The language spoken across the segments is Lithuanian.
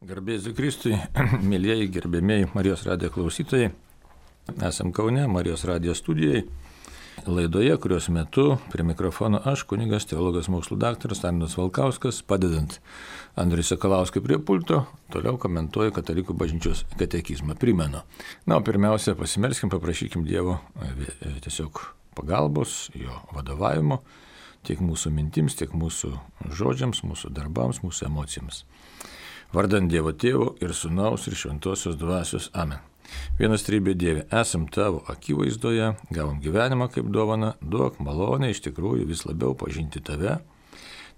Garbėsiu Kristui, mėlyjeji, gerbėmėjai Marijos radijo klausytojai. Esam Kaune, Marijos radijo studijai. Laidoje, kurios metu prie mikrofono aš, kunigas, teologas, mokslų daktaras Arnas Valkauskas, padedant Andriui Sakalauskui prie pulto, toliau komentuoju Katalikų bažnyčios katekizmą. Primenu. Pirmiausia, pasimerskim, paprašykim Dievo tiesiog pagalbos, jo vadovavimo, tiek mūsų mintims, tiek mūsų žodžiams, mūsų darbams, mūsų emocijoms. Vardant Dievo Tėvo ir Sūnaus ir Šventosios Dvasios. Amen. Vienas trybė Dieve, esam Tavo akivaizdoje, gavom gyvenimą kaip dovaną, duok malonę iš tikrųjų vis labiau pažinti Tave,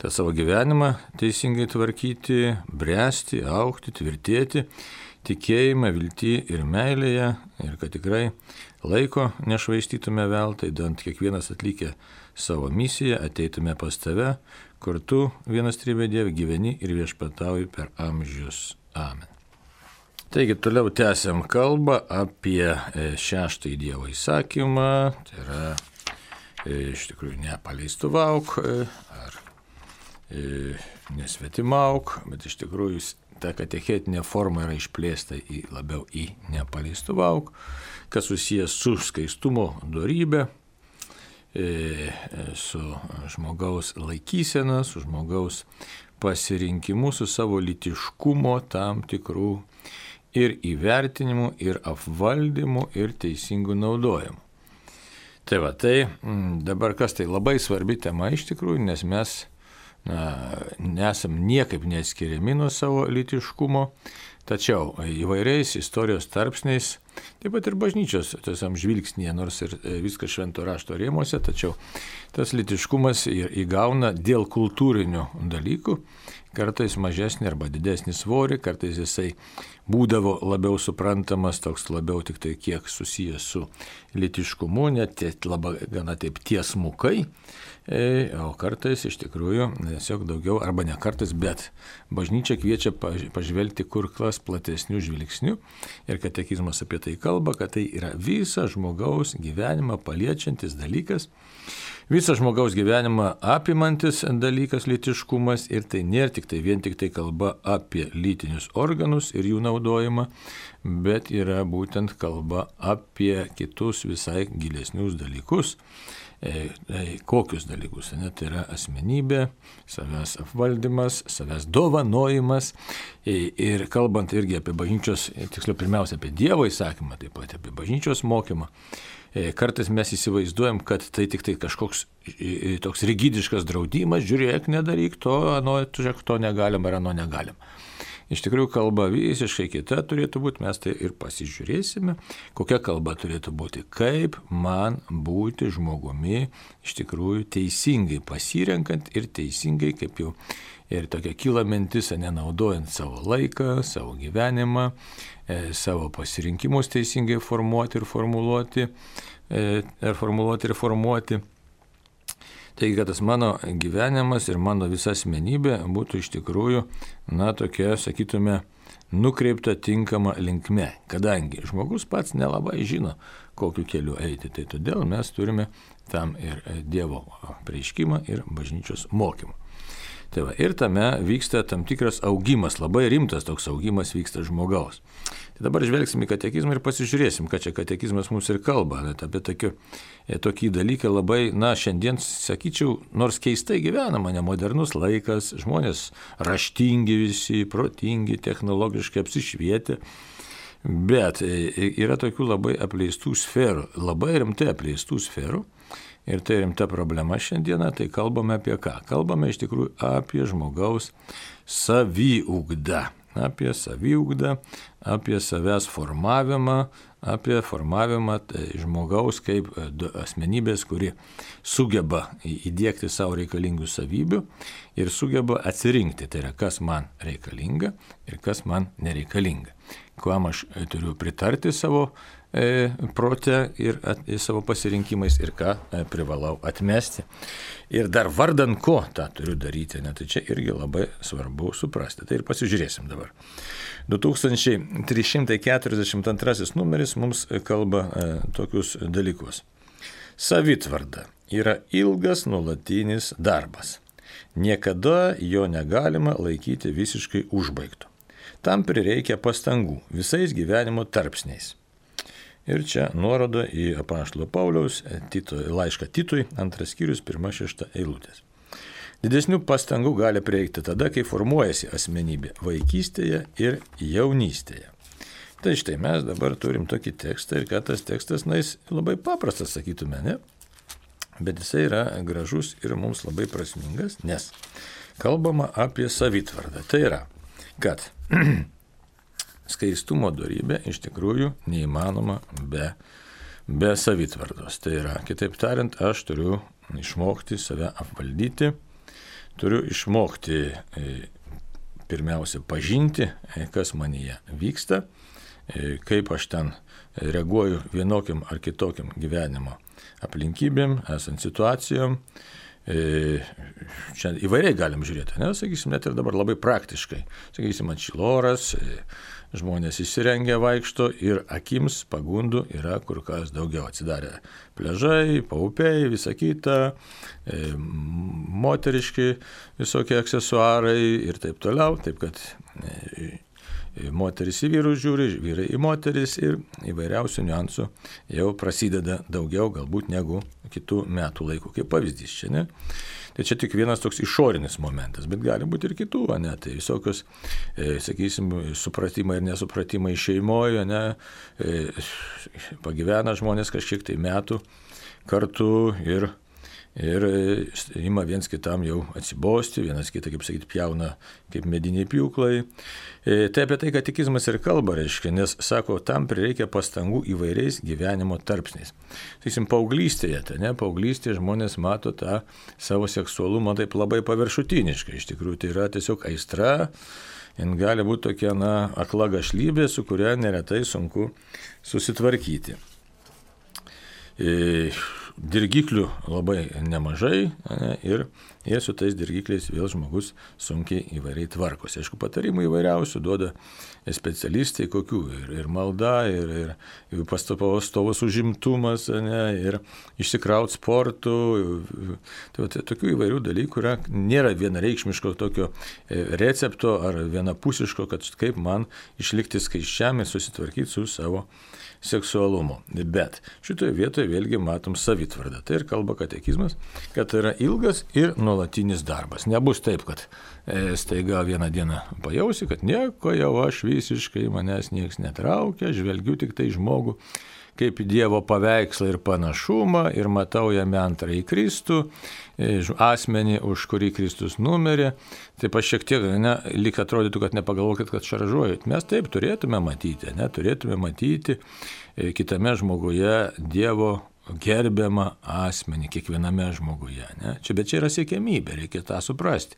tą savo gyvenimą teisingai tvarkyti, bręsti, augti, tvirtėti, tikėjimą, viltį ir meilėje, ir kad tikrai laiko nešvaistytume veltui, dant kiekvienas atlikę savo misiją, ateitume pas Tave, kur Tu, vienas trybė Dieve, gyveni ir viešpatauji per amžius. Amen. Taigi toliau tęsiam kalbą apie šeštąjį Dievo įsakymą, tai yra iš tikrųjų nepaleistuvauk ar nesvetimauk, bet iš tikrųjų ta katechetinė forma yra išplėsta labiau į nepaleistuvauk, kas susijęs su skaistumo dorybė, su žmogaus laikysena, su žmogaus pasirinkimu, su savo lytiškumo tam tikrų ir įvertinimu, ir apvaldymu, ir teisingų naudojimu. Tai dabar kas tai labai svarbi tema iš tikrųjų, nes mes nesam niekaip neatskiriami nuo savo lytiškumo, tačiau įvairiais istorijos tarpsniais, taip pat ir bažnyčios tiesiam žvilgsnėje, nors ir viskas švento rašto rėmuose, tačiau tas lytiškumas įgauna dėl kultūrinių dalykų, kartais mažesnį arba didesnį svorį, kartais jisai būdavo labiau suprantamas, toks labiau tik tai kiek susijęs su lytiškumu, net labai gana taip tiesmukai, o kartais iš tikrųjų tiesiog daugiau, arba ne kartais, bet bažnyčia kviečia pažvelgti kur kas platesnių žvilgsnių ir katekizmas apie tai kalba, kad tai yra visą žmogaus gyvenimą paliečiantis dalykas, visą žmogaus gyvenimą apimantis dalykas lytiškumas ir tai nėra vien tik tai kalba apie lytinius organus ir jų naudojimą, bet yra būtent kalba apie kitus visai gilesnius dalykus. Kokius dalykus? Tai yra asmenybė, savęs apvaldymas, savęs dovanojimas ir kalbant irgi apie bažnyčios, tiksliau pirmiausia apie Dievo įsakymą, taip pat apie bažnyčios mokymą. Kartais mes įsivaizduojam, kad tai tik tai kažkoks toks rigidiškas draudimas, žiūrėk, nedaryk to, žiūrėk, to negalim ar ano negalim. Iš tikrųjų kalba visiškai kita turėtų būti, mes tai ir pasižiūrėsime, kokia kalba turėtų būti, kaip man būti žmogumi, iš tikrųjų teisingai pasirenkant ir teisingai, kaip jau ir tokia kyla mintis, nenaudojant savo laiką, savo gyvenimą, savo pasirinkimus teisingai formuoti ir formuoti. Taigi, kad tas mano gyvenimas ir mano visa asmenybė būtų iš tikrųjų, tokia, sakytume, nukreipta tinkama linkme, kadangi žmogus pats nelabai žino, kokiu keliu eiti. Tai todėl mes turime tam ir Dievo apreiškimą ir bažnyčios mokymą. Ir tame vyksta tam tikras augimas, labai rimtas toks augimas vyksta žmogaus. Tai dabar žvelgsim į katekizmą ir pasižiūrėsim, ką čia katekizmas mums ir kalba. Apie tokį dalyką labai, šiandien, sakyčiau, nors keistai gyvenama, nemodernus laikas, žmonės raštingi visi, protingi, technologiškai apsišvietę, bet yra tokių labai apleistų sferų, labai rimtai apleistų sferų. Ir tai rimta problema šiandieną, tai kalbame apie ką? Kalbame iš tikrųjų apie žmogaus saviugdą. Apie saviugdą, apie savęs formavimą, apie formavimą žmogaus kaip asmenybės, kuri sugeba įdiegti savo reikalingų savybių ir sugeba atsirinkti, tai yra kas man reikalinga ir kas man nereikalinga. Kuom aš turiu pritarti savo prote ir savo pasirinkimais ir ką privalau atmesti. Ir dar vardan ko tą turiu daryti, tai čia irgi labai svarbu suprasti. Tai ir pasižiūrėsim dabar. 2342 numeris mums kalba tokius dalykus. Savitvarda yra ilgas nuolatinis darbas. Niekada jo negalima laikyti visiškai užbaigtu. tam prireikia pastangų visais gyvenimo tarpsniais. Ir čia nuoroda į apaštalo Pauliaus laišką Titui, 2 skyrius, 1-6 eilutės. Didesnių pastangų gali prireikti tada, kai formuojasi asmenybė vaikystėje ir jaunystėje. Tai štai mes dabar turim tokį tekstą ir kad tas tekstas, jis labai paprastas, sakytume, ne? Bet jisai yra gražus ir mums labai prasmingas, nes kalbama apie savitvardą. Tai yra, kad skaistumo dorybė iš tikrųjų neįmanoma be savitvardos. Tai yra, kitaip tariant, aš turiu išmokti save apvaldyti, turiu išmokti pirmiausia pažinti, kas manyje vyksta, kaip aš ten reaguoju vienokiam ar kitokiam gyvenimo aplinkybėm, esant situacijom. Čia įvairiai galim žiūrėti, ne? Sakysim, net ir dabar labai praktiškai. Sakysim, atšiloras, žmonės įsirengia vaikšto ir akims pagundų yra kur kas daugiau. Atsidarė pliažai, paupiai, visa kita, moteriški visokie aksesuarai ir taip toliau. Taip kad moteris į vyrus žiūri, vyrai į moteris ir įvairiausių niuansų jau prasideda daugiau galbūt negu kitų metų laikų. Kaip pavyzdys čia, ne? Tai čia tik vienas toks išorinis momentas, bet gali būti ir kitų, ne? Tai visokios, sakysim, supratimai ir nesupratimai šeimoje, ne? Pagyvena žmonės kažkiek tai metų kartu ir ima viens kitam jau atsibosti, vienas kitą, kaip sakyti, pjauna kaip mediniai pjūklai. Tai apie tai katekizmas ir kalba, reiškia, nes, sako, tam prireikia pastangų įvairiais gyvenimo tarpsniais. Sakysim, paauglystėje, paauglystėje žmonės mato tą savo seksualumą taip labai paviršutiniškai. Iš tikrųjų, tai yra tiesiog aistra, jin gali būti tokia, akla gašlybė, su kuria neretai sunku susitvarkyti. Dirgiklių labai nemažai, ne, ir su tais dirgikliais vėl žmogus sunkiai įvairiai tvarkosi. Aišku, patarimų įvairiausių duoda specialistai, kokių ir malda, ir pastovus užimtumas, ne, ir išsikraut sportų. Tai tokių įvairių dalykų yra, nėra vienareikšmiško tokio recepto ar vienapusiško, kad kaip man išlikti skaisčiam ir susitvarkyti su savo seksualumu. Bet šitoje vietoje vėlgi matom savitvardą. Tai ir kalba katekizmas, kad tai yra ilgas ir nuolatinis darbas. Nebus taip, kad staiga vieną dieną pajausi, kad nieko jau aš visiškai manęs nieks netraukia, žvelgiu tik tai žmogų kaip Dievo paveikslą ir panašumą ir matau jame antrąjį Kristų, asmenį, už kurį Kristus numirė. Taip aš šiek tiek, lyg atrodytų, kad nepagalvokit, kad šaržuojat. Mes taip turėtume matyti kitame žmoguje Dievo gerbiamą asmenį, kiekviename žmoguje. Ne? Bet čia yra siekiamybė, reikia tą suprasti.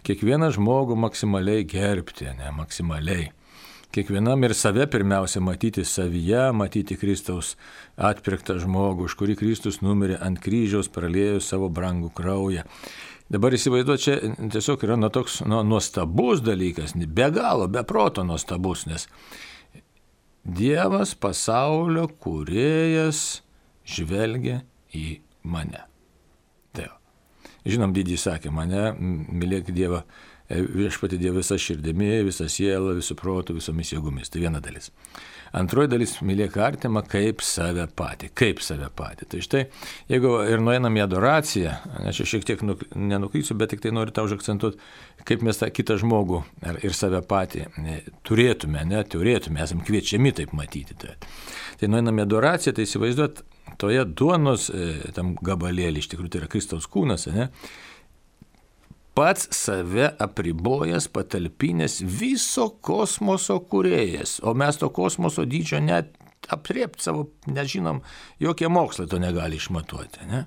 Kiekvieną žmogų maksimaliai gerbti, maksimaliai. Kiekvienam ir save pirmiausia matyti savyje, matyti Kristaus atpirktą žmogų, už kurį Kristus numirė ant kryžiaus, praliejo savo brangų kraują. Dabar įsivaizduoju, čia tiesiog yra toks nuostabus dalykas, be galo, be proto nuostabus, nes Dievas, pasaulio kūrėjas, žvelgia į mane. Tai jau. Žinom, didį sakė, mane mylėk Dievą, viešpatį Dievą visą širdimi, visą sielą, visų protų, visomis jėgomis. Tai viena dalis. Antroji dalis, mylėk artimą kaip save patį. Kaip save patį. Tai štai, jeigu ir nueinam į adoraciją, aš šiek tiek nenukrysiu, bet tik tai noriu tau užakcentuoti, kaip mes tą kitą žmogų ir save patį turėtume, esam kviečiami taip matyti. Tai nueinam į adoraciją, tai įsivaizduot, toje duonos tam gabalėlį, iš tikrųjų tai yra Kristaus kūnas, pats save apribojęs, patalpinęs viso kosmoso kūrėjas, o mes to kosmoso dydžio net apriepti savo, nežinom, jokie mokslai to negali išmatuoti. Ne?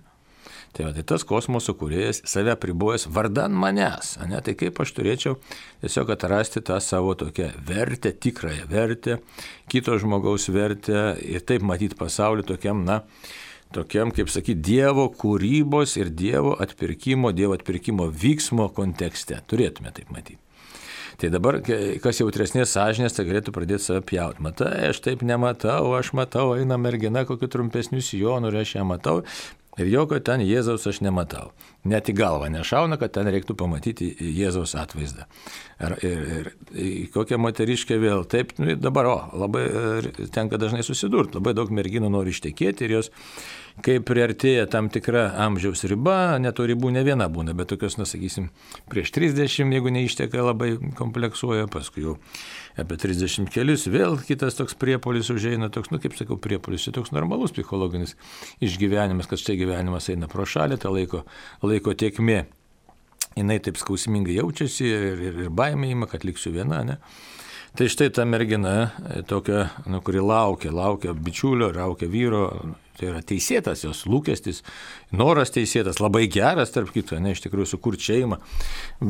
Tai tas kosmoso kūrėjas save apribojęs vardan manęs. Ne? Tai kaip aš turėčiau tiesiog atrasti tą savo tokią vertę, tikrąją vertę, kito žmogaus vertę ir taip matyti pasaulį tokiam, tokiam, kaip sakyti, Dievo kūrybos ir Dievo atpirkimo vyksmo kontekste. Turėtume taip matyti. Tai dabar, kas jautresnės sąžinės, tai galėtų pradėti save pjauti. Matai, aš taip nematau, aš matau, eina mergina kokiu trumpesniu sijonu ir aš ją matau. Ir jokio ten Jėzaus aš nematau. Net į galvą nešauna, kad ten reiktų pamatyti Jėzaus atvaizdą. Ir kokia moteriškė vėl. Taip, dabar, labai tenka dažnai susidurti. Labai daug merginų nori ištekėti ir jos, kai priartėja tam tikra amžiaus riba, net to ribų ne viena būna, bet tokios, sakysim, prieš 30, jeigu neišteka, labai kompleksuoja, paskui jau apie 30 kelius, vėl kitas toks priepuolis užeina, toks, kaip sakau, priepuolis, čia toks normalus psichologinis išgyvenimas, kad štai gyvenimas eina pro šalį, ta laiko tėkmė, jinai taip skausmingai jaučiasi ir baimė ima, kad liksiu viena, ne? Tai štai ta mergina, tokia, kuri laukia bičiulio, laukia vyro, tai yra teisėtas jos lūkestis, noras teisėtas, labai geras, tarp kito, ne, iš tikrųjų sukurti šeimą,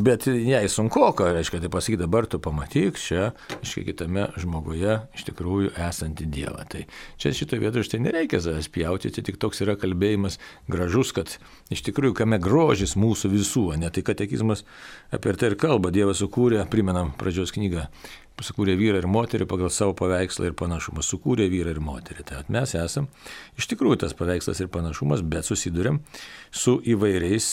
bet jai sunkoka, reiškia, tai pasakyti, dabar tu pamatyk čia, reiškia, kitame žmoguje iš tikrųjų esantį Dievą. Tai čia šitoje vietoje štai nereikia savęs pjauti, tai tik toks yra kalbėjimas gražus, kad iš tikrųjų kame grožis mūsų visų, ne tai katekizmas apie tai ir kalba, Dievas sukūrė, primenam pradžios knygą, sukūrė vyrą ir moterį pagal savo paveikslą ir panašumą. Sukūrė vyrą ir moterį. Tai mes esam iš tikrųjų tas paveikslas ir panašumas, bet susiduriam su įvairiais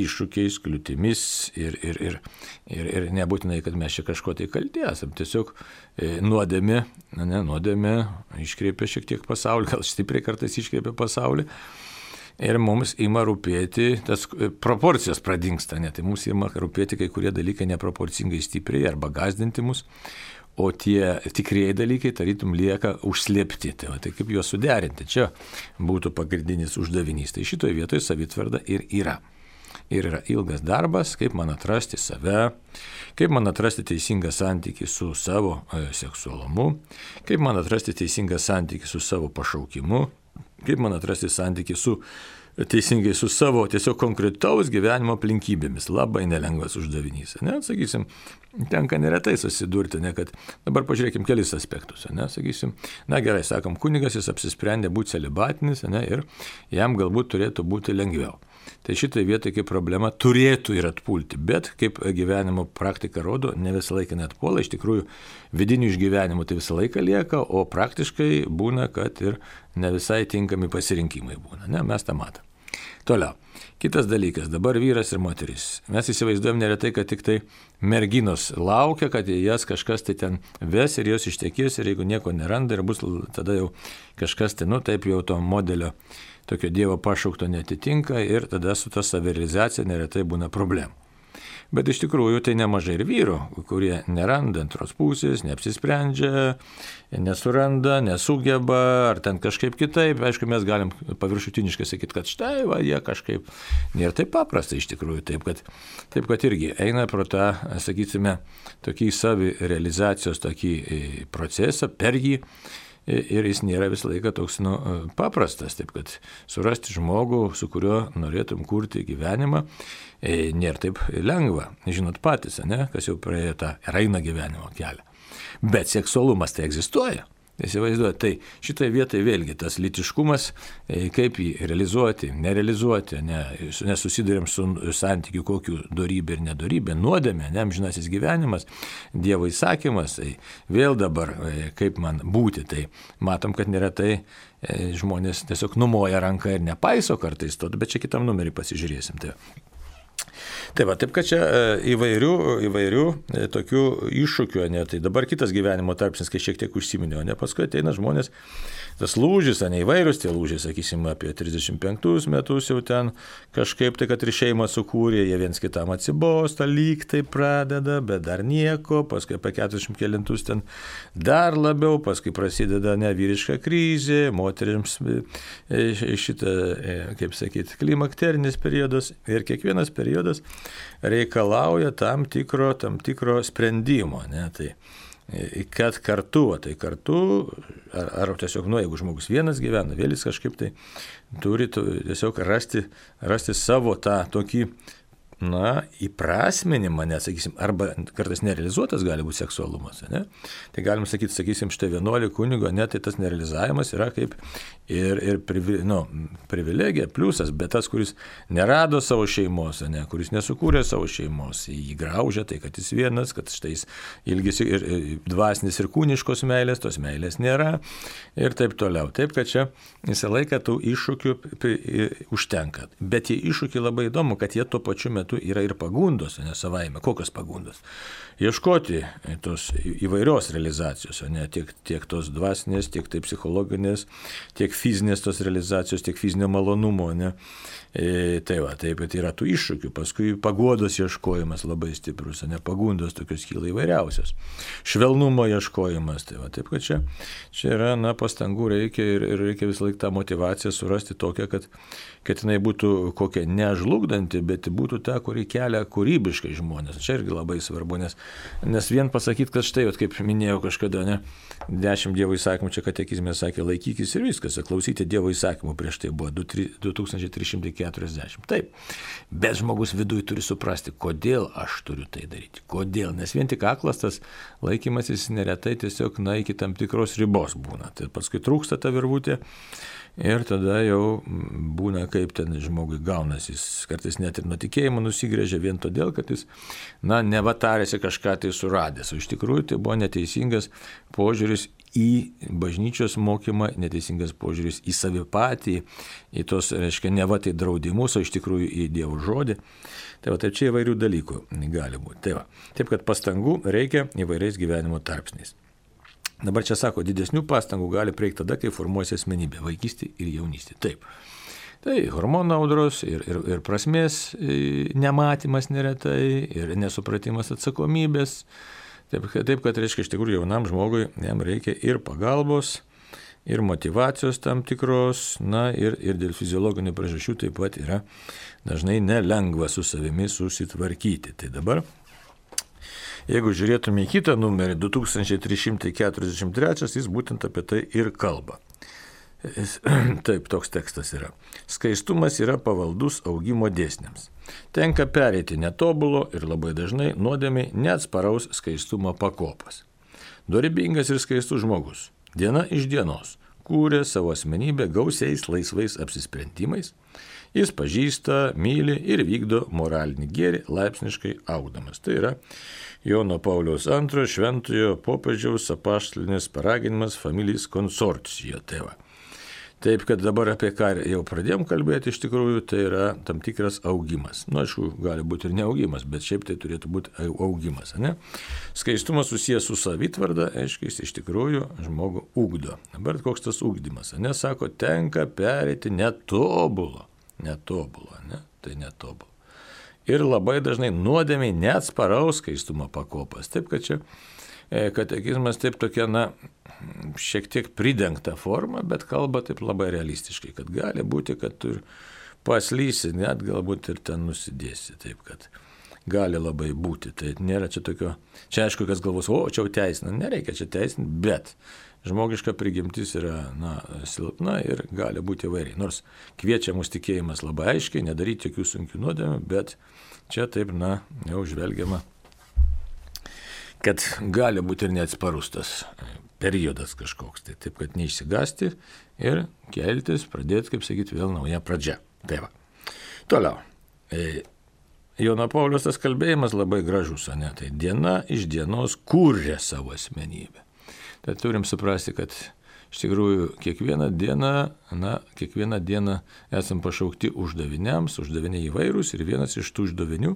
iššūkiais, kliūtimis ir nebūtinai, kad mes čia kažko tai kalti esam. Tiesiog nuodėmė iškreipia šiek tiek pasaulį, gal stipriai kartais iškreipia pasaulį. Ir mums ima rūpėti, tas proporcijos pradingsta, ne? Tai mums ima rūpėti kai kurie dalykai neproporcingai stipriai arba gąsdinti mus, o tie tikrieji dalykai tarytum lieka užslėpti. Tai kaip juos suderinti, čia būtų pagrindinis uždavinys. Tai šitoje vietoje savitvarda ir yra. Ir yra ilgas darbas, kaip man atrasti save, kaip man atrasti teisingą santykį su savo seksualumu, kaip man atrasti teisingą santykį su savo pašaukimu, kaip man atrasti santykį teisingai su savo tiesiog konkretaus gyvenimo aplinkybėmis. Labai nelengvas uždavinys. Ne? Sakysim, tenka neretai susidurti, ne, kad dabar pažiūrėkim kelis aspektus. Ne? Sakysim, gerai, sakom, kunigas jis apsisprendė būti celibatinis, ne, ir jam galbūt turėtų būti lengviau. Tai šitai vietai kaip problema turėtų ir atpulti, bet kaip gyvenimo praktika rodo, ne visą laiką net puola, iš tikrųjų vidinių išgyvenimų tai visą laiką lieka, o praktiškai būna, kad ir ne visai tinkami pasirinkimai būna, ne, mes tą matom. Toliau, kitas dalykas, dabar vyras ir moteris. Mes įsivaizduojam neretai, kad tik tai merginos laukia, kad jas kažkas tai ten ves ir jos ištekės ir jeigu nieko neranda ir bus tada jau kažkas tai, taip jau to modelio tokio Dievo pašaukto netitinka ir tada su ta savirealizacija neretai būna problemų. Bet iš tikrųjų tai nemažai ir vyrų, kurie neranda antros pusės, neapsisprendžia, nesuranda, nesugeba, ar ten kažkaip kitaip. Aišku, mes galim paviršutiniškai sakyti, kad štai, jie kažkaip nėra taip paprasta iš tikrųjų. Taip, kad irgi eina pro tą, sakysime, tokį savirealizacijos tokį procesą, per jį. Ir jis nėra visą laiką toks paprastas, taip kad surasti žmogų, su kuriuo norėtum kurti gyvenimą, nėra taip lengva. Žinot patys, ne, kas jau praėjo tą eina gyvenimo kelią. Bet seksualumas tai egzistuoja. Įsivaizduoju, tai šitoje vietoje vėlgi tas lytiškumas, kaip jį realizuoti, nerealizuoti, nesusidurėm su santykiu kokiu dorybė ir nedorybė, nuodėmė, amžinasis gyvenimas, Dievo įsakymas, tai vėl dabar kaip man būti, tai matom, kad neretai žmonės tiesiog numoja ranką ir nepaiso kartais to, bet čia kitam numerį pasižiūrėsim. Taip, taip kad čia įvairių tokių iššūkių, ne, tai dabar kitas gyvenimo tarpsnis, kai šiek tiek užsiminė, ne, paskui ateina žmonės, tas lūžis, ne įvairūs tie lūžiai, sakysim, apie 35 metus jau ten kažkaip tai, kad ir šeimą sukūrė, jie viens kitam atsibosta, lyg tai pradeda, bet dar nieko, paskui apie 40 kelintus ten dar labiau, paskui prasideda nevyriška krizė, moterims šitą, kaip sakyti, klimakterinis periodas ir kiekvienas periodas reikalauja tam tikro sprendimo, ne, tai kad kartu, ar tiesiog, jeigu žmogus vienas gyvena, vėl jis kažkaip tai turi tiesiog rasti savo tą tokį, įprasminimą, nesakysim, arba kartais nerealizuotas gali būti seksualumas. Ne? Tai galim sakyti, sakysim, štai vienuolį kunigo, tai tas nerealizavimas yra kaip ir privilegija, pliusas, bet tas, kuris nerado savo šeimos, kuris nesukūrė savo šeimos, jį graužia, tai kad jis vienas, kad štai jis ilgisi ir dvasinis ir kūniškos meilės, tos meilės nėra ir taip toliau. Taip, kad čia visą laiką tų iššūkių užtenka. Bet tie iššūkiai labai įdomu, kad jie tuo pačiu metu yra ir pagundos, ne savaime. Kokios pagundos? Ieškoti tos įvairios realizacijos, tiek tos dvasinės, tiek tai psichologinės, tiek fizinės tos realizacijos, tiek fizinio malonumo. Tai pat yra tų iššūkių. Paskui paguodos ieškojimas labai stiprus, pagundos tokios kyla įvairiausios. Švelnumo ieškojimas. Taip, kad čia yra, pastangų reikia ir reikia visą laiką tą motyvaciją surasti tokią, kad jinai būtų kokia nežlugdanti, bet būtų ta, kuri kelia kūrybiškai žmonės. Čia irgi labai svarbu, nes vien pasakyti, kad štai, kaip minėjau kažkada, 10 Dievo įsakymų, čia katekizme sakė, laikykis ir viskas, klausyti Dievo įsakymų, prieš tai buvo 2340. Taip, bet žmogus viduje turi suprasti, kodėl aš turiu tai daryti. Kodėl? Nes vien tik aklas tas laikymasis neretai tiesiog iki tam tikros ribos būna. Tai paskui trūksta ta virvutė. Ir tada jau būna, kaip ten žmogui gaunasi, jis kartais net ir nuo tikėjimo nusigrėžia vien todėl, kad jis, nevatarėsi kažką tai suradęs. O iš tikrųjų tai buvo neteisingas požiūris į bažnyčios mokymą, neteisingas požiūris į savi patį, į tos, reiškia, neva tai draudimus, o iš tikrųjų į Dievo žodį. Tai čia įvairių dalykų gali būti. Taip, kad pastangų reikia įvairiais gyvenimo tarpsniais. Dabar čia sako, didesnių pastangų gali prieiti tada, kai formuojasi asmenybė, vaikystė ir jaunystė. Taip. Tai hormonų audros ir prasmės nematymas neretai, ir nesupratimas atsakomybės. Taip, kad reiškia, iš tikrųjų jaunam žmogui jam reikia ir pagalbos, ir motyvacijos tam tikros, ir dėl fiziologinių priežasčių taip pat yra dažnai nelengva su savimi susitvarkyti. Tai dabar, jeigu žiūrėtume į kitą numerį, 2343, jis būtent apie tai ir kalba. Taip, toks tekstas yra. Skaistumas yra pavaldus augimo dėsniams. Tenka pereiti netobulo ir labai dažnai nuodėmiai neatsparaus skaistumo pakopas. Dorybingas ir skaistus žmogus, diena iš dienos, kūrė savo asmenybę gausiais laisvais apsisprendimais. Jis pažįsta, myli ir vykdo moralinį gėrį laipsniškai augdamas. Tai yra Jono Pauliaus II šventojo popiežiaus apaštalinis paraginimas Familis Consortio. Taip, kad dabar apie ką jau pradėjom kalbėti, iš tikrųjų tai yra tam tikras augimas. Aišku, gali būti ir neaugimas, bet šiaip tai turėtų būti augimas. Skaistumas susijęs su savitvarda, aiškiai, iš tikrųjų žmogų ugdo. Dabar koks tas ugdymas? Sako, tenka pereiti netobulo. Tai netobulo. Ir labai dažnai nuodėmiai neatsparaus skaistumo pakopas. Taip, kad čia katekizmas taip tokia, šiek tiek pridengta forma, bet kalba taip labai realistiškai, kad gali būti, kad tu paslysi, net galbūt ir ten nusidėsi. Taip, kad gali labai būti. Tai nėra čia tokio, čia aišku, kas galvos, čia jau teisina, nereikia čia teisinti, bet žmogiška prigimtis yra silpna ir gali būti įvairiai. Nors kviečia mus tikėjimas labai aiškiai, nedaryti jokių sunkių nuodėmių, bet čia taip, jau žvelgiama, kad gali būti ir neatsparus tas periodas kažkoks. Tai taip, kad neišsigasti ir keltis, pradėti, kaip sakyti, vėl nauja pradžia. Tai va. Toliau. Jono Pauliaus tas kalbėjimas labai gražus, tai diena iš dienos kūrė savo asmenybę. Tai turim suprasti, kad iš tikrųjų kiekvieną dieną esam pašaukti uždaviniams, uždaviniai įvairūs ir vienas iš tų uždavinių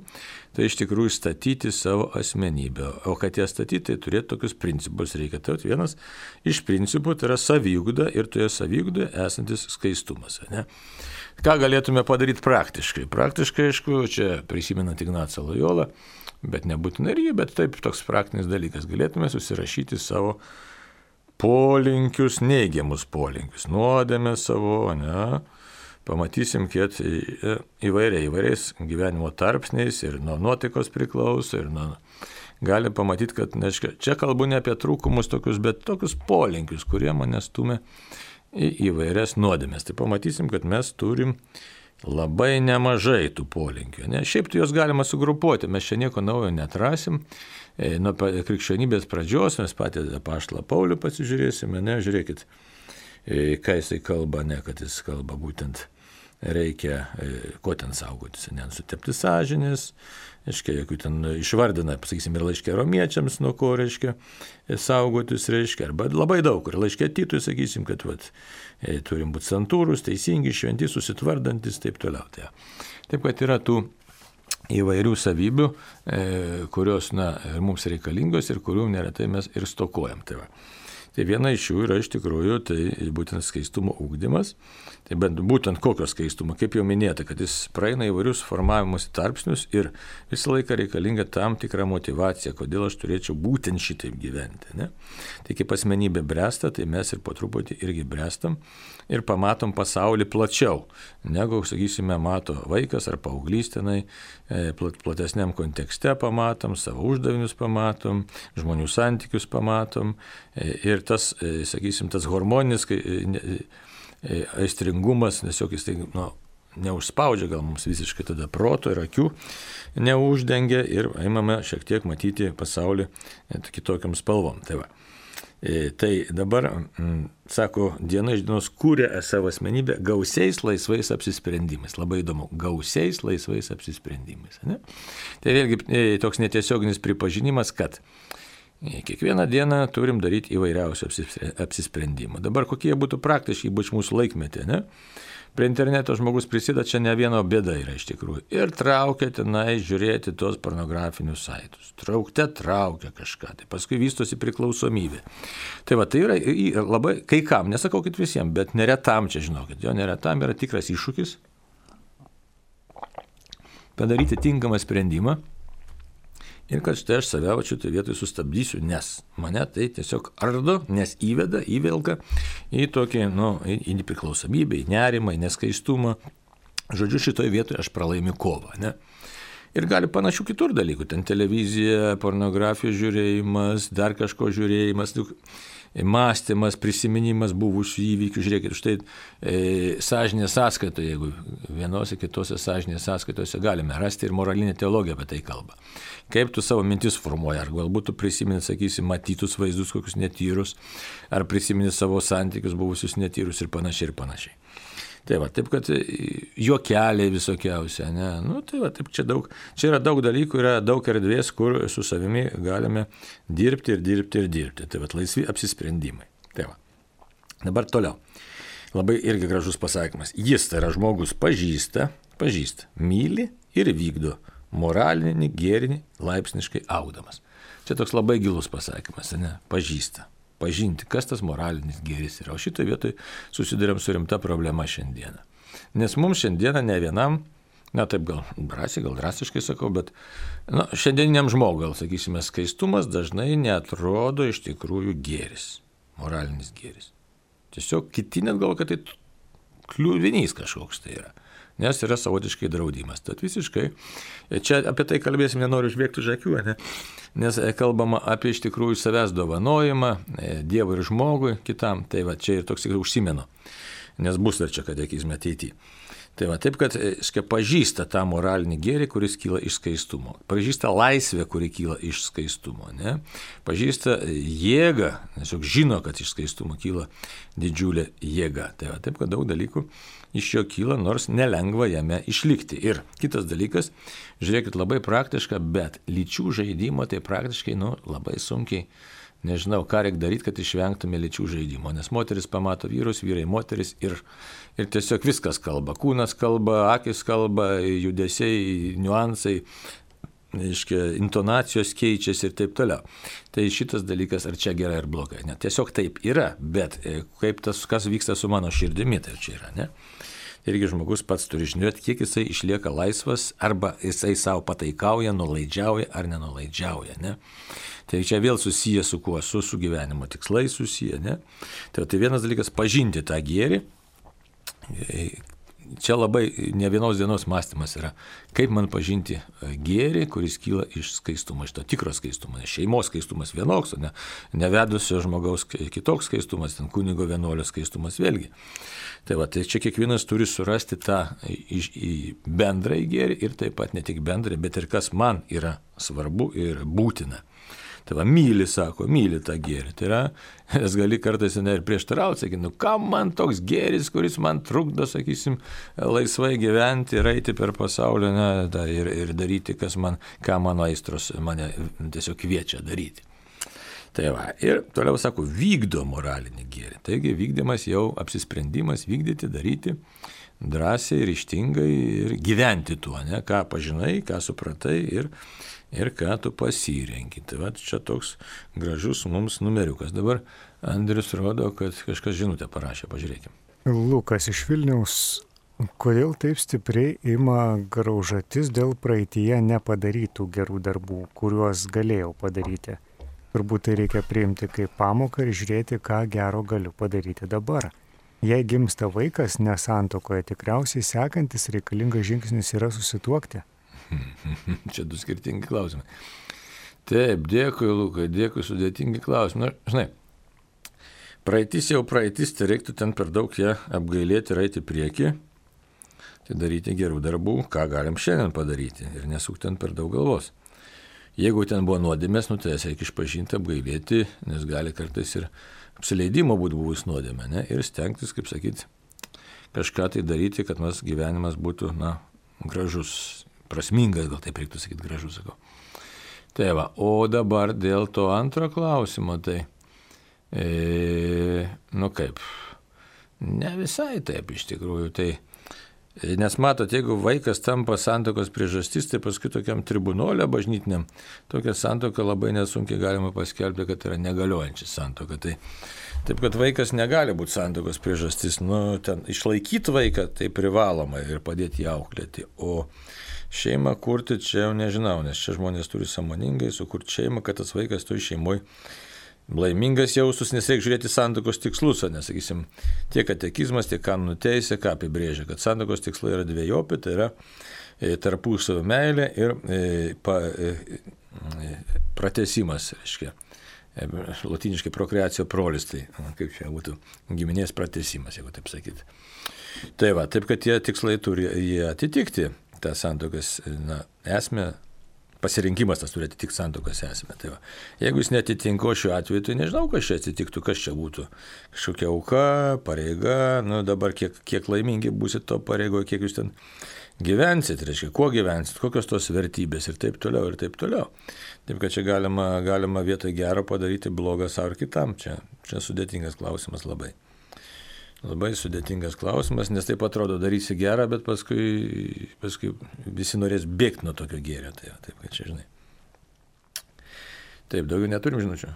tai iš tikrųjų statyti savo asmenybę. O kad ją statyti, tai turėti tokius principus reikia. Tai vienas iš principų tai yra saviugda ir toje saviugdoje esantis skaistumas. Ką galėtume padaryti praktiškai? Praktiškai, aišku, čia prisimenant Ignacą Lojolą, bet nebūtinai ir jį, bet taip toks praktinis dalykas. Galėtume susirašyti savo polinkius, neigiamus polinkius, nuodėmę savo, pamatysim, kiek įvairiais gyvenimo tarpsniais ir nuo nuotaikos priklauso ir gali pamatyti, kad čia kalbu ne apie trūkumus tokius, bet tokius polinkius, kurie mane stumia į įvairias nuodėmės. Tai pamatysim, kad mes turim labai nemažai tų polinkių. Ne? Šiaip tai juos galima sugrupuoti, mes čia nieko naujo netrasim. Nuo krikščionybės pradžios mes patį apaštalą Paulių pasižiūrėsime, ne, žiūrėkit, ką jisai kalba, ne, kad jis kalba būtent reikia, ko ten saugotis, nesutepti sąžinės, reiškia, jeigu ten išvardina, pasakysim, ir laiškė romiečiams, nuo ko, reiškia, saugotis, reiškia, arba labai daug, ir laiškė Titui, sakysim, kad turim būti santūrus, teisingi, šventi, susitvardantis, taip toliau. Taip, kad yra tų įvairių savybių, kurios, mums reikalingos ir kurių neretai mes ir stokojam. Tai viena iš jų yra iš tikrųjų, tai būtent skaistumo ugdymas. Tai būtent kokio skaistumo, kaip jau minėta, kad jis praeina įvairius formavimus tarpsnius ir visą laiką reikalinga tam tikra motivacija, kodėl aš turėčiau būtent šitaip gyventi. Ne? Tai kaip asmenybė bręsta, tai mes ir po truputį irgi bręstam ir pamatom pasaulį plačiau, negu, sakysime, mato vaikas ar paauglys tenai, platesniam kontekste pamatom, savo uždavinius pamatom, žmonių santykius pamatom ir tas, sakysim, tas hormoninis aistringumas, tiesiog jis tai neužspaudžia gal mums visiškai tada proto ir akių, neuždengia ir imame šiek tiek matyti pasaulį kitokiam spalvom. Tai dabar, sako, diena iš dienos kūrė savo asmenybę gausiais laisvais apsisprendimais. Labai įdomu, gausiais laisvais apsisprendimais. Ne? Tai vėlgi toks netiesioginis pripažinimas, kad kiekvieną dieną turim daryti įvairiausių apsisprendimų. Dabar kokie būtų praktiškai, ypač mūsų laikmetė, ne? Prie interneto žmogus prisideda, čia ne vieno bėda yra iš tikrųjų. Ir traukia tenai žiūrėti tos pornografinius saitus. Traukia kažką. Tai paskui vystosi priklausomybė. Tai yra labai, kai kam, nesakau, kad visiems, bet neretam čia, žinokit, jo neretam yra tikras iššūkis padaryti tinkamą sprendimą. Ir kad štai aš save šitoj vietoj sustabdysiu, nes mane tai tiesiog ardo, nes įvelka į tokį, į nepriklausomybę, į nerimą, į neskaistumą. Žodžiu, šitoj vietoj aš pralaimiu kovą, ne? Ir gali panašių kitur dalykų, ten televizija, pornografijos žiūrėjimas, dar kažko žiūrėjimas, mąstymas, prisiminimas buvusių įvykių. Žiūrėkit, štai sąžinės sąskaitoje, jeigu vienose kitose sąžinės sąskaitose galime rasti ir moralinė teologija apie tai kalba. Kaip tu savo mintis formuoji, ar galbūt tu prisimeni, sakysi, matytus vaizdus kokius netyrus, ar prisimeni savo santykius buvusius netyrus ir panašiai ir panašiai. Taip, kad juokeliai visokiausia, ne? Taip, čia yra daug dalykų, yra daug erdvės, kur su savimi galime dirbti. Laisvi apsisprendimai. Dabar toliau. Labai irgi gražus pasakymas. Jis, tai yra žmogus, pažįsta, myli ir vykdo moralinį, gėrinį, laipsniškai augdamas. Čia toks labai gilus pasakymas, ne? Pažįsta. Pažinti, kas tas moralinis gėris yra. O šitoje vietoje susidurėm su rimta problema šiandieną. Nes mums šiandieną ne vienam, taip gal drastiškai sakau, bet šiandieniniam žmogui, gal sakysime, skaistumas dažnai neatrodo iš tikrųjų gėris, moralinis gėris. Tiesiog kiti net galvo, kad tai kliuvinys kažkoks tai yra. Nes yra savotiškai draudimas. Tad visiškai, čia apie tai kalbėsim, nenoriu užbėgti už akių, ne? Nes kalbama apie iš tikrųjų savęs dovanojimą Dievui ir žmogui kitam. Tai čia ir toks tikrai užsimenu, nes bus dar čia katekizme ateityje. Taip, kad pažįsta tą moralinį gėrį, kuris kyla iš skaistumo. Pažįsta laisvę, kuri kyla iš skaistumo. Ne? Pažįsta jėgą, nes juk žino, kad iš skaistumo kyla didžiulė jėga. Taip, kad daug dalykų iš jo kyla, nors nelengva jame išlikti. Ir kitas dalykas, žiūrėkit, labai praktiška, bet lyčių žaidimo tai praktiškai labai sunkiai. Nežinau, ką reikia daryti, kad išvengtume lyčių žaidimo, nes moteris pamato vyrus, vyrai moteris ir tiesiog viskas kalba. Kūnas kalba, akis kalba, judesiai, niuansai, intonacijos keičiasi ir taip toliau. Tai šitas dalykas, ar čia gerai ar blogai. Ne, tiesiog taip yra, bet kaip kas vyksta su mano širdimi, tai čia yra, ne? Irgi žmogus pats turi žinoti, kiek jisai išlieka laisvas, arba jisai savo pataikauja, nuolaidžiauja ar nenulaidžiauja, ne? Tai čia vėl susiję su kuo? Su gyvenimo tikslais susiję, ne? Tai vienas dalykas pažinti tą gėrį, čia labai ne vienos dienos mąstymas yra, kaip man pažinti gėrį, kuris kyla iš skaistumo, iš to tikro skaistumo. Šeimos skaistumas vienoks, o ne nevedusio žmogaus kitoks skaistumas, ten kunigo vienuolio skaistumas vėlgi. Tai va, tai čia kiekvienas turi surasti tą bendrąjį gėrį ir taip pat ne tik bendrąjį, bet ir kas man yra svarbu ir būtina. Tai va, myli tą gėrį. Tai yra, nes gali kartais ir prieštarauti, sakyti, kam man toks gėris, kuris man trukdo, sakysim, laisvai gyventi ir eiti per pasaulį, ir daryti, ką mano aistros mane tiesiog kviečia daryti. Tai va, ir toliau sako, vykdo moralinį gėrį. Taigi vykdymas jau apsisprendimas vykdyti, daryti drąsiai, ryžtingai ir gyventi tuo, ne? Ką pažinai, ką supratai ir ką tu pasirenki. Tai va, čia toks gražus mums numeriukas. Dabar Andrius rodo, kad kažkas žinutę parašė, pažiūrėkime. Lukas iš Vilniaus. Kodėl taip stipriai ima graužatis dėl praeityje nepadarytų gerų darbų, kuriuos galėjau padaryti? Turbūt tai reikia priimti kaip pamoką ir žiūrėti, ką gero galiu padaryti dabar. Jei gimsta vaikas nesantuokoje, tikriausiai sekantis reikalingas žingsnis yra susituokti. Čia du skirtingi klausimai. Taip, dėkui, Lukai, dėkui, sudėtingi klausimai. Žinai, praeitis jau praeitis, tai reiktų ten per daug ją apgailėti ir eiti prieki, tai daryti gerų darbų, ką galim šiandien padaryti ir nesuk ten per daug galvos. Jeigu ten buvo nuodėmės, tai jas reikia išpažinti, apgailėti, nes gali kartais ir apsileidimo būti buvus nuodėmė, ne? Ir stengtis, kaip sakyti, kažką tai daryti, kad mūsų gyvenimas būtų, gražus, prasmingas, gal taip reiktų sakyti, gražus, sakau. Tai va, o dabar dėl to antro klausimo, tai, kaip, ne visai taip iš tikrųjų, tai, nes matot, jeigu vaikas tampa santuokos priežastis, tai paskui tokiam tribunolė bažnytiniam, tokia santuoka labai nesunkiai galima paskelbti, kad yra negaliojanči santuoka. Taip, kad vaikas negali būti santuokos priežastis, ten išlaikyti vaiką tai privaloma ir padėti jį auklėti, o šeimą kurti čia jau nežinau, nes čia žmonės turi sąmoningai sukurti šeimą, kad tas vaikas toj šeimoje laimingas jaustus, nes reikia žiūrėti santuokos tikslus, nes, sakysim, tiek katekizmas, tiek kanonų teisė, ką apibrėžia, kad santuokos tikslai yra dvejopi, tai yra tarpusavio meilė ir pratęsimas, reiškia, lotyniškai prokreacija prolis, tai kaip čia būtų giminės pratęsimas, jeigu taip sakyti. Tai va, taip, kad tie tikslai turi jie atitikti, tą santuokos esmę, pasirinkimas tas turi atitikti santuokos esmę. Tai va, jeigu jis netitinko šiuo atveju, tai nežinau, kas čia atsitiktų, kas čia būtų. Kažkokia auka, pareiga, dabar kiek laimingi būsit to pareigoje, kiek jūs ten gyvensit, reiškia, kuo gyvensit, kokios tos vertybės ir taip toliau, ir taip toliau. Taip, kad čia galima vietoj gero padaryti blogą savo ir kitam. Čia sudėtingas klausimas labai. Labai sudėtingas klausimas, nes taip atrodo darysi gerą, bet paskui visi norės bėgti nuo tokio gėrio. Taip, kad čia žinai. Taip, daugiau neturim žinučių.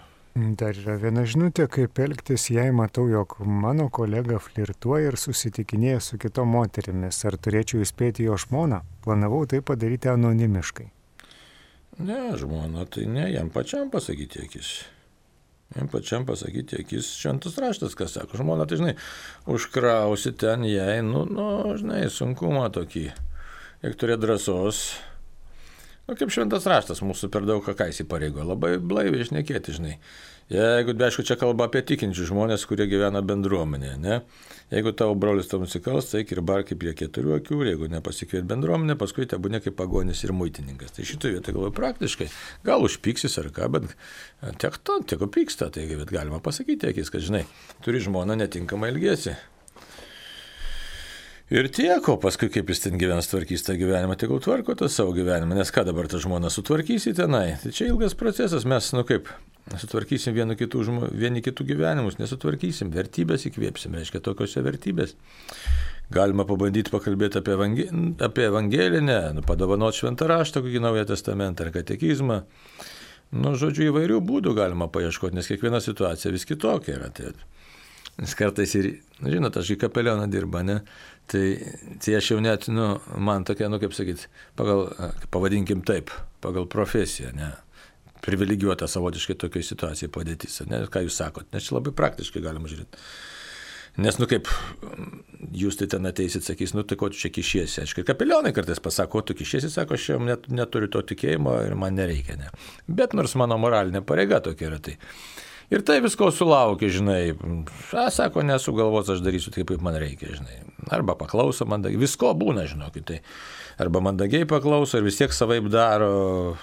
Dar yra viena žinutė, kaip elgtis, jei matau, jog mano kolega flirtuoja ir susitikinėja su kitom moterimis. Ar turėčiau įspėti jo žmoną? Planavau tai padaryti anonimiškai. Ne, žmona, tai ne, jam pačiam pasakyti akis. Šventas raštas, kas sako, žmona, tai žinai, užkrausi ten jai, žinai, sunkumą tokį, jeigu turėt drąsos, kaip šventas raštas mūsų per daug ką įsipareigo, labai blaiviai šnekėti, žinai. Jeigu, aišku, čia kalba apie tikinčius žmonės, kurie gyvena bendruomenėje, ne? Jeigu tavo brolis tau nusikals, tai ir barkai prie 4 akių, jeigu nepasikviet bendruomenę, paskui te būne kaip pagonis ir muitininkas. Tai šitoje vietoje galvoju praktiškai, gal užpyksis ar ką, bet tiek pyksta, tai galima pasakyti akis, kad žinai, turi žmoną netinkamai elgiesi. Ir tiek, o paskui kaip jis ten gyvens, tvarkys tą gyvenimą, tegul tvarko tą savo gyvenimą, nes ką dabar tą žmoną sutvarkysi tenai. Tai čia ilgas procesas, mes, sutvarkysim vieni kitų gyvenimus, nesutvarkysim, vertybės įkvėpsim, reiškia tokiose vertybės. Galima pabandyti pakalbėti apie evangelinę, padovanoti šventą raštą, kokį Naują testamentą ar katekizmą. Žodžiu, įvairių būdų galima paieškoti, nes kiekviena situacija vis kitokia yra. Nes kartais ir, žinot, aš į kapelioną dirba, ne? Tai aš jau net, man tokia, kaip sakyti, pavadinkim taip, pagal profesiją, ne? Privilegijuota savotiškai tokiai situacijai padėtis, ne? Ką jūs sakot, nes čia labai praktiškai galima žiūrėti. Nes, kaip jūs tai ten ateisit, sakys, nu tai ko tu čia kišiesi. Aišku, kapelionai kartais pasako, ko tu kišiesi, sako, aš jau neturiu to tikėjimo ir man nereikia. Ne. Bet nors mano moralinė pareiga tokia yra tai. Ir tai visko sulaukia, žinai, sako, nesu galvos, aš darysiu taip, kaip man reikia, žinai. Arba paklauso mandagiai, visko būna, žinokit, tai. Arba mandagiai paklauso ir vis tiek savaip daro.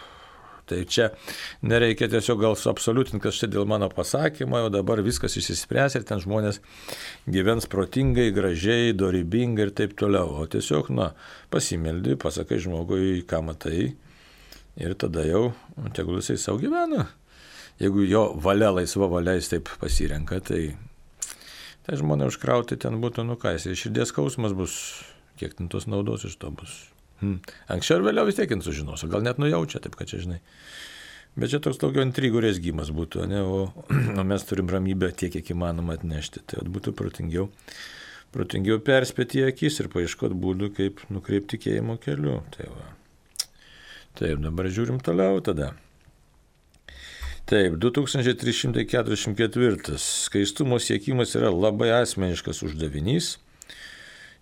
Tai čia nereikia tiesiog gal suabsoliutinti, kad štai dėl mano pasakymo jau dabar viskas išsispręs ir ten žmonės gyvens protingai, gražiai, dorybingai ir taip toliau. O tiesiog, pasimeldi, pasakai žmogui, ką matai ir tada jau tegul jisai savo gyvena. Jeigu jo valia, laisva valia jis taip pasirenka, tai žmonė užkrauti ten būtų, jis širdies skausmas bus, kiek ten tos naudos iš to bus. Anksčiau ir vėliau vis tiek sužinos, gal net nujaučia, taip kad čia žinai. Bet čia toks daugiau intrigų rezgimas būtų, ne? O mes turim ramybę tiek, kiek įmanoma atnešti. Tai būtų protingiau perspėti į akis ir paieškoti būdų, kaip nukreipti tikėjimo keliu. Taip, dabar žiūrim toliau tada. Taip, 2344. Skaistumo siekimas yra labai asmeniškas uždavinys.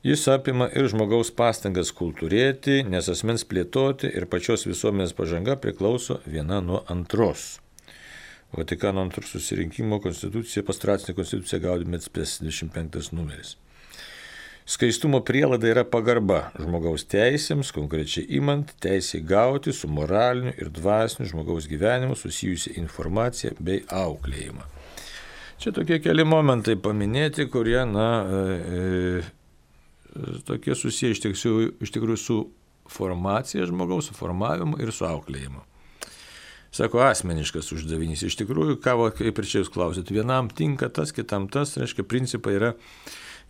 Jis apima ir žmogaus pastangas kultūrėti, nes asmens plėtoti ir pačios visuomenės pažanga priklauso viena nuo antros. Vatikano antrų susirinkimo konstitucija, pastoracinė konstitucija Gaudium et Spes 25 numeris. Skaistumo prielaida yra pagarba žmogaus teisėms, konkrečiai imant teisę gauti su moraliniu ir dvasiniu žmogaus gyvenimu susijusią informaciją bei auklėjimą. Čia tokie keli momentai paminėti, kurie, tokie susiję iš tikrųjų su formacija žmogaus, su formavimu ir su auklėjimu. Sako, asmeniškas uždavinys. Iš tikrųjų, kaip ir čia jūs klausėt, vienam tinka tas, kitam tas, reiškia, principai yra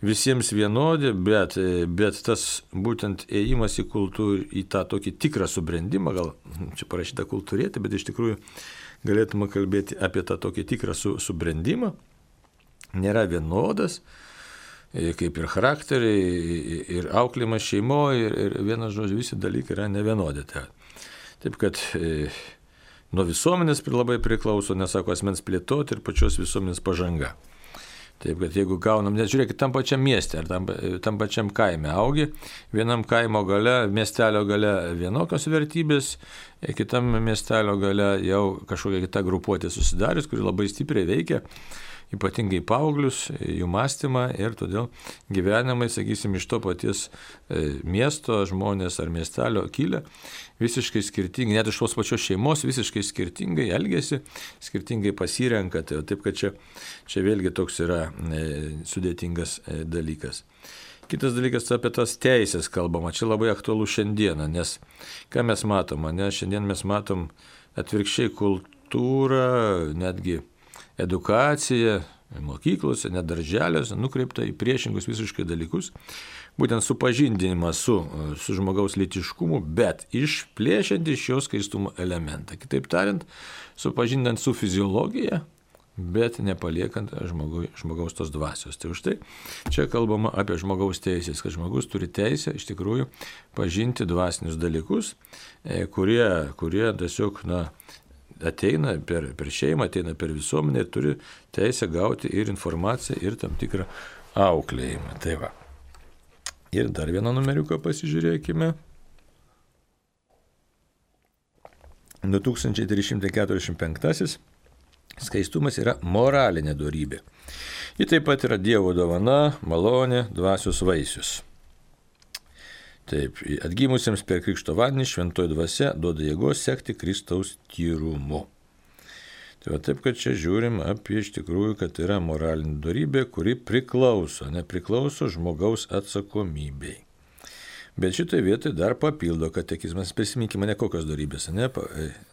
visiems vienodi, bet tas būtent ėjimas į tą tokį tikrą subrendimą, gal čia parašyta kultūrėti, bet iš tikrųjų galėtume kalbėti apie tą tokį tikrą subrendimą, nėra vienodas, kaip ir charakteriai, ir auklėjimas šeimoje, ir vienas žodžiu, visi dalykai yra nevienodi. Taip kad nuo visuomenės labai priklauso, nesako, asmens plėtoti ir pačios visuomenės pažanga. Taip kad jeigu gaunam, net žiūrėkit, tam pačiam mieste ar tam pačiam kaime augi, vienam kaimo gale, miestelio gale vienokios vertybės, kitam miestelio gale jau kažkokia kita grupuotė susidarius, kuri labai stipriai veikia, ypatingai paauglius, jų mąstymą ir todėl gyvenimai, sakysim, iš to paties miesto žmonės ar miestelio kilę visiškai skirtingai, net iš tos pačios šeimos visiškai skirtingai elgesi, skirtingai pasirenka. Taip kad čia vėlgi toks yra sudėtingas dalykas. Kitas dalykas, apie tas teisės kalbama, čia labai aktualu šiandieną, nes ką mes matom, šiandien mes matom atvirkščiai kultūrą, netgi edukacija mokyklose, net darželiuose nukreipta į priešingus visiškai dalykus, būtent supažindinimą su žmogaus lytiškumu, bet išplėšiant iš jo skaistumo elementą. Kitaip tariant, supažindant su fiziologija, bet nepaliekant žmogaus tos dvasios. Tai už tai čia kalbama apie žmogaus teisės, kad žmogus turi teisę iš tikrųjų pažinti dvasinius dalykus, kurie tiesiog, ateina per šeimą, ateina per visuomenę ir turi teisę gauti ir informaciją, ir tam tikrą auklėjimą. Tai va. Ir dar vieną numeriuką pasižiūrėkime. 2345. Skaistumas yra moralinė dorybė. Ji taip pat yra Dievo dovana, malonė, dvasios vaisius. Taip, atgimusiems per krikšto vandenį šventoji dvasia duoda jėgos sekti Kristaus tyrumu. Tai va taip, kad čia žiūrim apie iš tikrųjų, kad yra moralinė dorybė, kuri nepriklauso žmogaus atsakomybei. Bet šitoje vietoje dar papildo katekizmas, prisiminkime, ne kokios dorybės,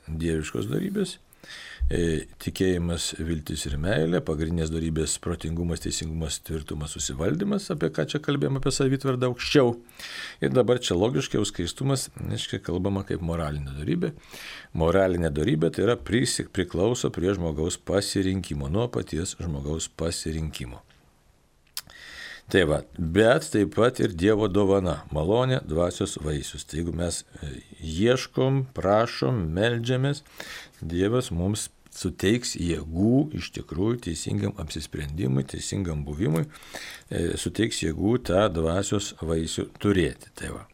dieviškos dorybės, tikėjimas, viltis ir meilė, pagrindinės dorybės protingumas, teisingumas, tvirtumas, susivaldymas, apie ką čia kalbėjome, apie savitvardą aukščiau. Ir dabar čia logiškai skaistumas, kalbama kaip moralinė dorybė. Moralinė dorybė tai yra priklauso prie žmogaus pasirinkimo, nuo paties žmogaus pasirinkimo. Tai va, bet taip pat ir Dievo dovana, malonė, dvasios vaisius. Tai jeigu mes ieškom, prašom, meldžiamės, Dievas mums suteiks jėgų iš tikrųjų teisingam apsisprendimui, teisingam buvimui, suteiks jėgų tą dvasios vaisių turėti. Tai va.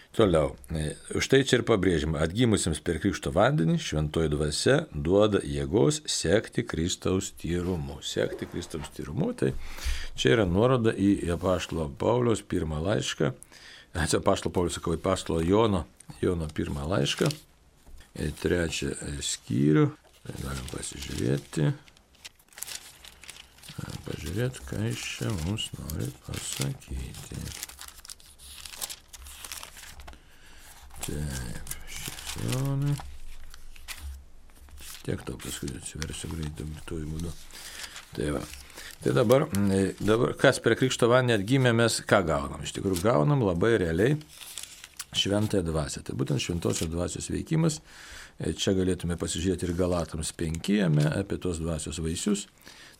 Toliau, štai čia ir pabrėžima, atgimusiems per krikšto vandenį šventoji dvasia duoda jėgos sekti Kristaus tyrumu. Sekti Kristaus tyrumu, tai čia yra nuoroda į apaštalo Pauliaus pirmą laišką, apaštalo Pauliaus, sakau, apaštalo Jono pirmą laišką, 3 skyrių, tai galim pasižiūrėti, ką jis čia mums nori pasakyti. Taip, šiandien. Tiek to paskui atsiversiu greitai būdu. Tai va. Tai dabar, kas per krikšto vandenį atgimė, mes ką gaunam? Iš tikrųjų, gaunam labai realiai šventąją dvasią. Tai būtent šventosios dvasios veikimas. Čia galėtume pasižiūrėti ir Galatams 5 apie tos dvasios vaisius.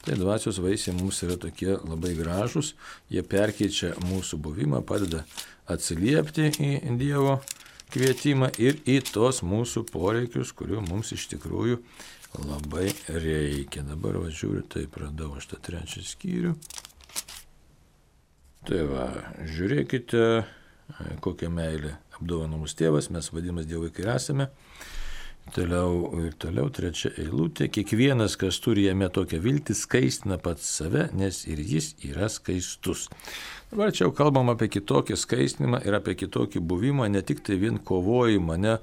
Tai dvasios vaisiai mums yra tokie labai gražus. Jie perkeičia mūsų buvimą, padeda atsiliepti į Dievo kvietimą ir į tos mūsų poreikius, kurių mums iš tikrųjų labai reikia. Dabar žiūriu, taip radau aš tą 3 skyrių. Tai va, žiūrėkite, kokią meilę apdovano mus tėvas, mes vadinamas Dievo vaikai esame. Toliau 3 eilutė. Kiekvienas, kas turi jame tokią viltį, skaistina pats save, nes ir jis yra skaistus. Dabar čia jau kalbam apie kitokį skaistinimą ir apie kitokį buvimą, ne tik tai vien kovojimą, ne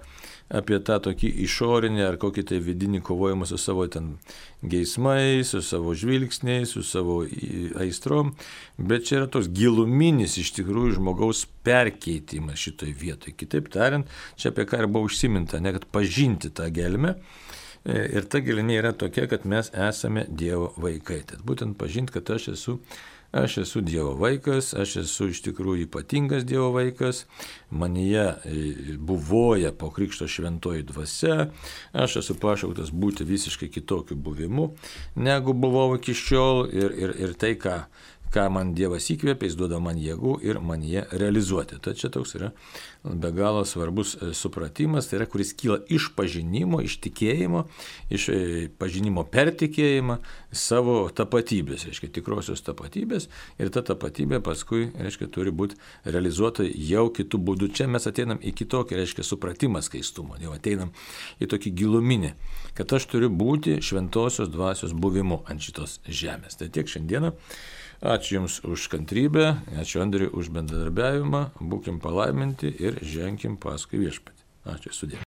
apie tą tokį išorinį ar kokį tai vidinį kovojimą su savo ten geismais, su savo žvilgsniais, su savo aistrom, bet čia yra toks giluminis iš tikrųjų žmogaus perkeitimas šitoj vietoj. Kitaip tariant, čia apie ką ir buvo užsiminta, ne kad pažinti tą gelmę. Ir ta gelmė yra tokia, kad mes esame Dievo vaikai. Tad būtent pažinti, kad aš esu Dievo vaikas, aš esu iš tikrųjų ypatingas Dievo vaikas, manyje buvoja po krikšto šventoji dvasia, aš esu pašauktas būti visiškai kitokiu buvimu, negu buvau iki šiol ir tai, ką man Dievas įkvėpė, jis duoda man jėgų ir man jie realizuoti. Tai čia toks yra be galo svarbus supratimas, tai yra, kuris kyla iš pažinimo, iš tikėjimo, iš pažinimo per tikėjimą savo tapatybės, reiškia tikrosios tapatybės, ir ta tapatybė paskui, reiškia, turi būti realizuota jau kitų būdų. Čia mes ateinam į kitokį, reiškia, supratimą skaistumo, jau ateinam į tokį giluminį, kad aš turiu būti šventosios dvasios buvimu ant šitos žemės. Tai tiek šiandieną. Ačiū Jums už kantrybę, ačiū Andriui už bendradarbiavimą, būkim palaiminti ir ženkim paskui Viešpatį. Ačiū, sudie.